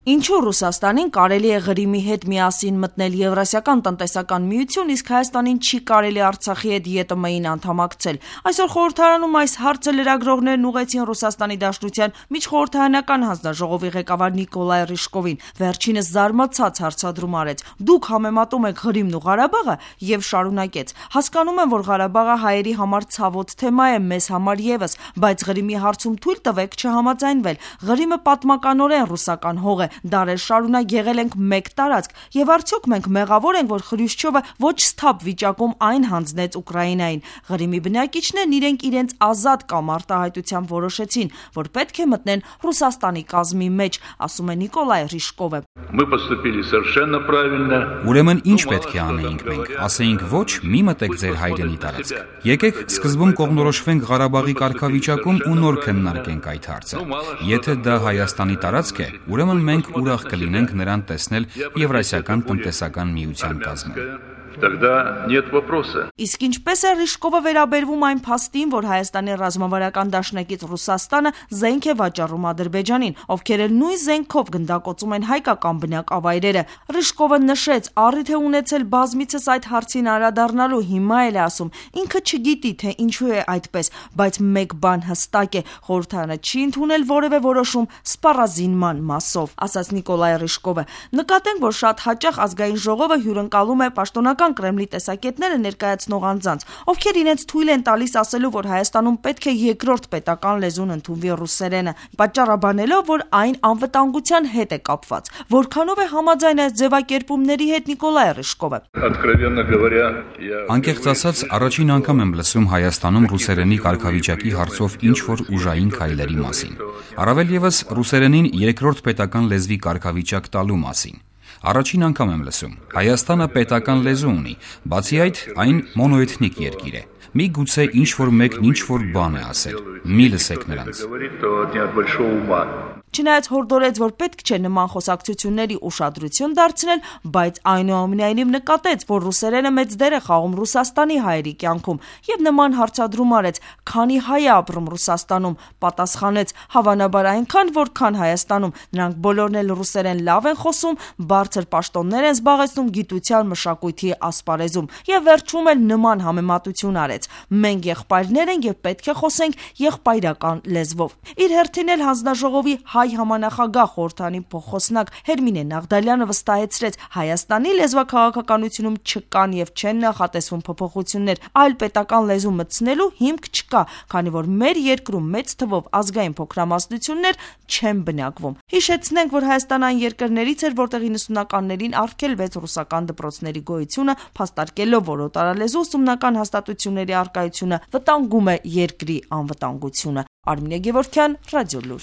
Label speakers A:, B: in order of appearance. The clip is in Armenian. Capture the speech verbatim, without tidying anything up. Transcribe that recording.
A: Ինչու Ռուսաստանին կարելի է Ղրիմի հետ միասին մտնել Եվրասիական տնտեսական միություն, իսկ Հայաստանին չի կարելի Արցախի հետ Ե Տ Մ-ին անդամակցել։ Այսօր խորհրդարանում այս հարցը լրագրողներն ուղղեցին Ռուսաստանի Դաշնության միջխորհրդարանական հանձնաժողովի ղեկավար Նիկոլայ Ռիժկովին։ Վերջինս զարմացած հարցադրում արեց. «Դուք համեմատում եք Ղրիմն ու Ղարաբաղը» եւ շարունակեց. «Հասկանում եմ, որ Ղարաբաղը հայերի համար ցավոտ թեմա է, մեզ համար եւս, բայց Ղրիմի հարցում թույլ տվեք չհամաձայնվել։ Ղրիմը պատմականորեն ռուսական հող է, դարեր շարունակ եղել ենք մեկ տարածք, եւ արդյոք մենք մեղավոր ենք, որ Խրյուշչովը ոչ սթափ վիճակում այն հանձնեց Ուկրաինային։ Ղրիմի բնակիչներն իրենք իրենց ազատ կամ արտահայտությամբ որոշեցին, որ պետք է մտնեն Ռուսաստանի կազմի մեջ», ասում է Նիկոլայ Ռիժկովը։
B: Ուրեմն ինչ պետք է անեինք մենք, ասեինք ոչ, մի մտեք ձեր հայրենի տարածք։ Եկեք սկզբում կողմնորոշվենք Ղարաբաղի կարգավիճակում ու նոր քննարկենք այդ հարցը։ Եթե դա Հայաստանի տարածք է, ուրեմն մենք ուրախ կլինենք նրան տեսնել Եվրասիական տնտեսական միության կազմում։
C: Тогда нет вопроса.
A: Իսկ ինչպես է Ռիժկովը վերաբերվում այն փաստին, որ Հայաստանի ռազմավարական դաշնակից Ռուսաստանը զենք է վաճառում Ադրբեջանին, ովքեր էլ նույն զենքով գնդակոծում են հայկական բնակավայրերը։ Ռիժկովը նշեց, առիթ է ունեցել բազմիցս այդ հարցին անդրադառնալու, հիմա էլ է ասում, ինքը չգիտի, թե ինչու է այդպես, բայց մեկ բան հստակ է, խորհրդարանը չի ընդունել որևէ որոշում սպառազինման մասով, ասաց Նիկոլայ Ռիժկովը։ Նկատենք, որ շատ հաճախ ազգային ժողովը հյուրընկալում է պաշտոնական Կրեմլի տեսակետները ներկայացնող անձանց, ովքեր իրենց թույլ են տալիս ասելու, որ Հայաստանում պետք է երկրորդ պետական լեզուն ընդունվի ռուսերենը, պատճառաբանելով, որ այն անվտանգության հետ է կապված։ Որքանով է համաձայն այս ձևակերպումների հետ Նիկոլայ Ռիժկովը։
B: Անկեղծ ասած, առաջին անգամ եմ լսում Հայաստանում ռուսերենի կարգավիճակի հարցով ինչ-որ ուժային քայլերի մասին։ Առավել եւս ռուսերենին երկրորդ պետական լեզվի կարգավիճակ տալու մասին։ Առաջին անգամ եմ լսում։ Հայաստանը պետական լեզու ունի, բացի այդ, այն մոնոէթնիկ երկիր է։ Մի գուցե ինչ-որ մեկն ինչ-որ բան է ասել։ Մի լսեք նրանց։
A: Չնայած հորդորեց, որ պետք չէ նման խոսակցությունների ուշադրություն դարձնել, բայց այնուամենայնիվ նկատեց, որ ռուսերենը մեծ դեր է խաղում Ռուսաստանի հայերի կյանքում եւ նման հարցադրում արեց. «Քանի հայ է ապրում Ռուսաստանում», պատասխանեց. «Հավանաբար այնքան, որքան Հայաստանում, նրանք բոլորն էլ ռուսերեն լավ են խոսում, բարձր պաշտոններ են զբաղեցնում գիտության, մշակույթի ասպարեզում» եւ վերջում էլ նման համեմատություն արեց. «Մենք եղբայրներ ենք եւ պետք է խոսենք եղբայրական լեզվով»։ Իր հերթին էլ հանձնաժողովի հայ համանախագահ խորհրդանի փոխոսնակ Հերմինե Նաղդալյանը վստահեցրեց, Հայաստանի լեզվաքաղաքականությունում չկան եւ չեն նախատեսվում փոփոխություններ, այլ պետական լեզու մտցնելու հիմք չկա, քանի որ մեր երկրում մեծ թվով ազգային փոքրամասնություններ չեն բնակվում։ Հիշեցնենք, որ Հայաստան այն երկրներից էր, որտեղ իննսունականներին արգելվեց ռուսական դպրոցների գոյությունը, փաստարկելով, որ օտարալեզու ուսումնական հաստատությունների առկայությունը վտանգում է երկրի անվտանգությունը։ Արմինե Գևորգյան, Ռադիոլուր։